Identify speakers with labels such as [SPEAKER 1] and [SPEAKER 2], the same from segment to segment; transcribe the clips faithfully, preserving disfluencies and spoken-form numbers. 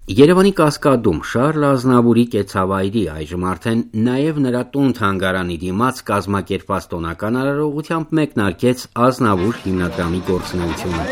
[SPEAKER 1] Երևանի Կասկադում Շառլ Ազնավուրի կեցավայրի, այժմ արդեն նաև նրա տուն-թանգարանի դիմաց կազմակերպված տոնական արարողությամբ մեկնարկեց Ազնավուր հիմնադրամի գործունեությունը։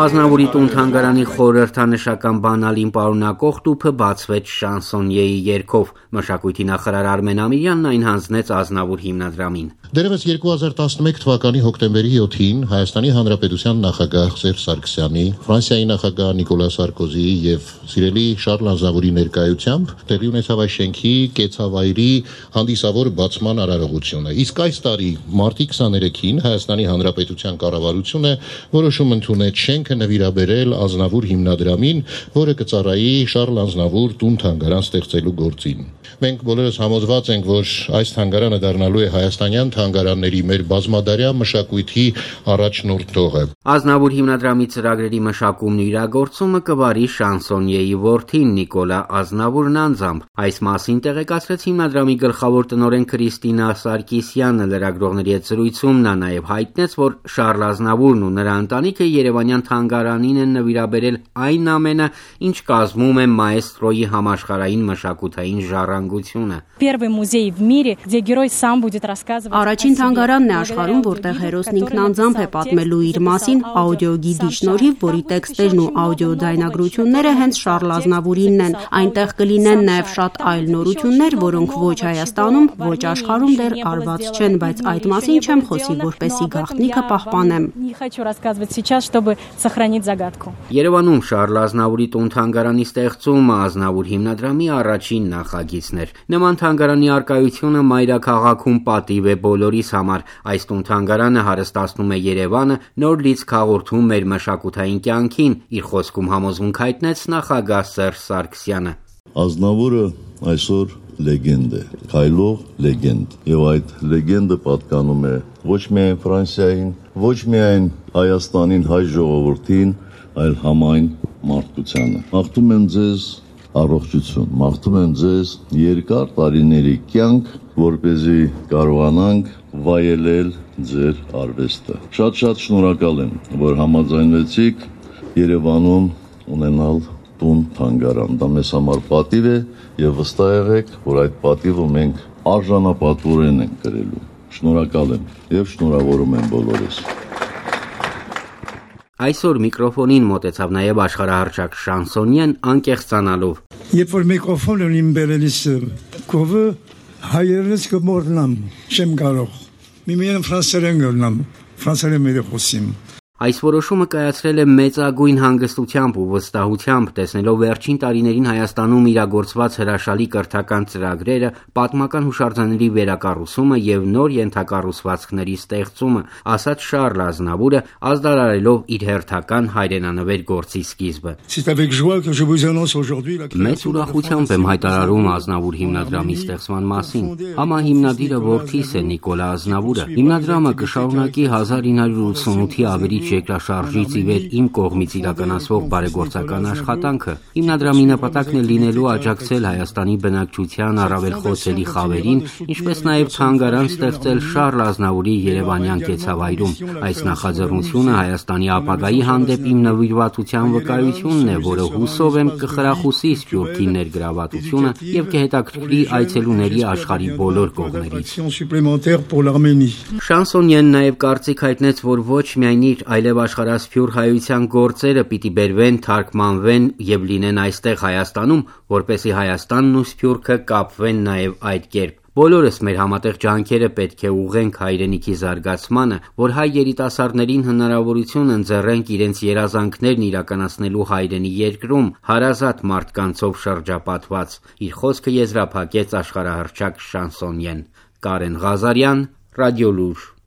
[SPEAKER 1] Ազնավուրի տուն-թանգարանի խորհրդանշական բանալին պարունակող տուփը բացվեց շանսոնիեի երգով։ Մշակույթի նախարար Արմեն Ամիրյանն այն հանձնեց Ազնավուր հիմնադրամին։
[SPEAKER 2] Դեռևս երկու հազար տասնմեկ թվականի հոկտեմբերի յոթին Հայաստանի Հանրապետության նախագահ Սերժ Սարգսյանի, Ֆրանսիայի նախագահ Նիկոլա Սարկոզիի եւ սիրելի Շառլ Ազնավուրի ներկայությամբ տեղի ունեցավ այս շենքի կեցավայրի հանդիսավոր բացման արարողությունը։ Իսկ այս տարի մարտի քսաներեքին Հայաստանի Հանրապետության կառավարությունը որոշում ընդունեց շենքը նվիրաբերել Ազնավուր հիմնադրամին, որը կծառայի Շառլ Ազնավուր տուն-թանգարան ստեղծելու գործին։ Մենք բոլորս համոզված ենք, որ այս թանգարանը դառնալու է հայաստանյան թանգարանների մեր բազմադարյա մշակույթի առաջնորդողը։
[SPEAKER 1] Ազնավուր հիմնադրամի ծրագրերի մշակումն ու իրագործումը կվարի շանսոնիեի որդին Նիկոլա Ազնավուրն անձամբ։ Այս մասին տեղեկացրեց հիմնադրամի գլխավոր տնօրեն Քրիստինա Սարգիսյանը լրագրողների հետ զրույցում։ Նա նաև հայտնեց, որ Շառլ Ազնավուրն ու նրա ընտանիքը Երևանյան թանգարանին են նվիրաբերել այն ամենը, ինչ կազմում է մաեստրոյի համաշխարհային մշակութային ժառանգությունը։
[SPEAKER 3] Առաջին թանգարանն է աշխարհում, որտեղ հերոսն ինքն անձամբ է պատմելու իր մասին աուդիոգիդի շնորհիվ, որի տեքստերն ու աուդիոդայնագրությունները հենց Շառլ Ազնավուրինն են։ Այնտեղ կլինեն նաև շատ այլ նորություններ, որոնք ոչ Հայաստանում, ոչ աշխարհում դեռ արված չեն, բայց այդ մասին չեմ խոսի, որպեսզի գաղտնիքը պահպանեմ։
[SPEAKER 1] Երևանում Շառլ Ազնավուրի տուն-թանգարանի ստեղծումը Ազնավուր հիմնադրամի առաջին նախագիծն էր։ Նման թանգարանի առկայությունը մայրաքաղաքում պատիվ է բոլորիս համար։ Այս տուն-թանգարանը հարստացնում է Երևանը, նոր լիցք հաղորդում մեր մշակութային կյանքին, իր խոսքում համոզմունք հայտնեց նախագահ Սերժ Սարգսյանը։
[SPEAKER 4] Ազնավուրը այսօր լեգենդ է, քայլող լեգենդ, եւ այդ լեգենդը պատկանում է ոչ միայն Ֆրանսիային, ոչ միայն Հայաստանին, հայ ժողովրդին, այլ համայն մարդկությանը։ Մաղթում եմ ձեզ առողջություն, մաղթում եմ ձեզ երկար տարիների կյանք, որպեսզի կարողանանք վայելել ձեր արվեստը։ Շատ-շատ շնորհակալ եմ, որ համաձայնվեցիք Երևանում ունենալ տուն-թանգարան։ Դա մեզ համար պատիվ է եւ վստահ եղեք, որ այդ պատիվը մենք արժանապատվորեն ենք կրելու։ Շնորհակալ եմ եւ շնորհավորում եմ բոլորիս։
[SPEAKER 1] Այսօր միկրոֆոնին մոտեցավ նաև աշխարհահռչակ շանսոնիեն անկեղծանալով։
[SPEAKER 5] Երբ որ միկրոֆոնը իմ բերելիս կովը հայերենից կմոռնամ, չեմ կարող։ Միմիան ֆրանսերեն գտնամ, ֆրանսերեն մեր խոսիմ։
[SPEAKER 1] Այս որոշումը կայացրել է մեծագույն հանգստությամբ ու վստահությամբ, տեսնելով վերջին տարիներին Հայաստանում իրագործված հրաշալի կրթական ծրագրերը, պատմական հուշարձանների վերակառուցումը եւ նոր ենթակառուցվածքների ստեղծումը, ասաց Շառլ Ազնավուրը, ազդարարելով իր հերթական հայրենանվեր գործի սկիզբը։ Մեծ ուրախությամբ եմ հայտարարում Ազնավուր հիմնադրամի ստեղծման մասին։ Համահիմնադիրը որդիս է Նիկոլա Ազնավուրը։ Հիմնադրամը կշարունակի հազար ինը հարյուր ութսունութի ավելի երկրաշարժից ի վեր իմ կողմից իրականացվող բարեգործական աշխատանքը։ Հիմնադրամի նպատակն է լինելու աջակցել Հայաստանի բնակչության առավել խոցելի խավերին, ինչպես նաև թանգարան ստեղծել Շառլ Ազնավուրի երևանյան կեցավայրում։ Այս նախաձեռնությունը Հայաստանի ապագայի հանդեպ իմ նվիրվածության վկայությունն է, որը հուսով եմ կխրախուսի Սփյուռքի ներգրավվածությունը եւ կհետաքրքրի այցելուների աշխարհի բոլոր կողմերից։ Շանսոնիեն նաև կարծիք հայտնեց, որ ոչ միայն իր այլև աշխարհասփյուռ հայության գործերը պիտի բերվեն, թարգմանվեն եւ լինեն այստեղ Հայաստանում, որպեսզի Հայաստանն ու Սփյուռքը կապվեն նաեւ այդ կերպ։ Բոլորս մեր համատեղ ջանքերը պետք է ուղղենք հայրենիքի զարգացմանը, որ հայ երիտասարդներին հնարավորություն ընձեռենք իրենց երազանքներն իրականացնելու հայրենի երկրում, հարազատ մարդկանցով շրջապատված։ Իր խոսքը եզրափակեց աշխարհահռչակ շանսոնիեն։ Կարեն Ղազարյան, Ռադիոլուր։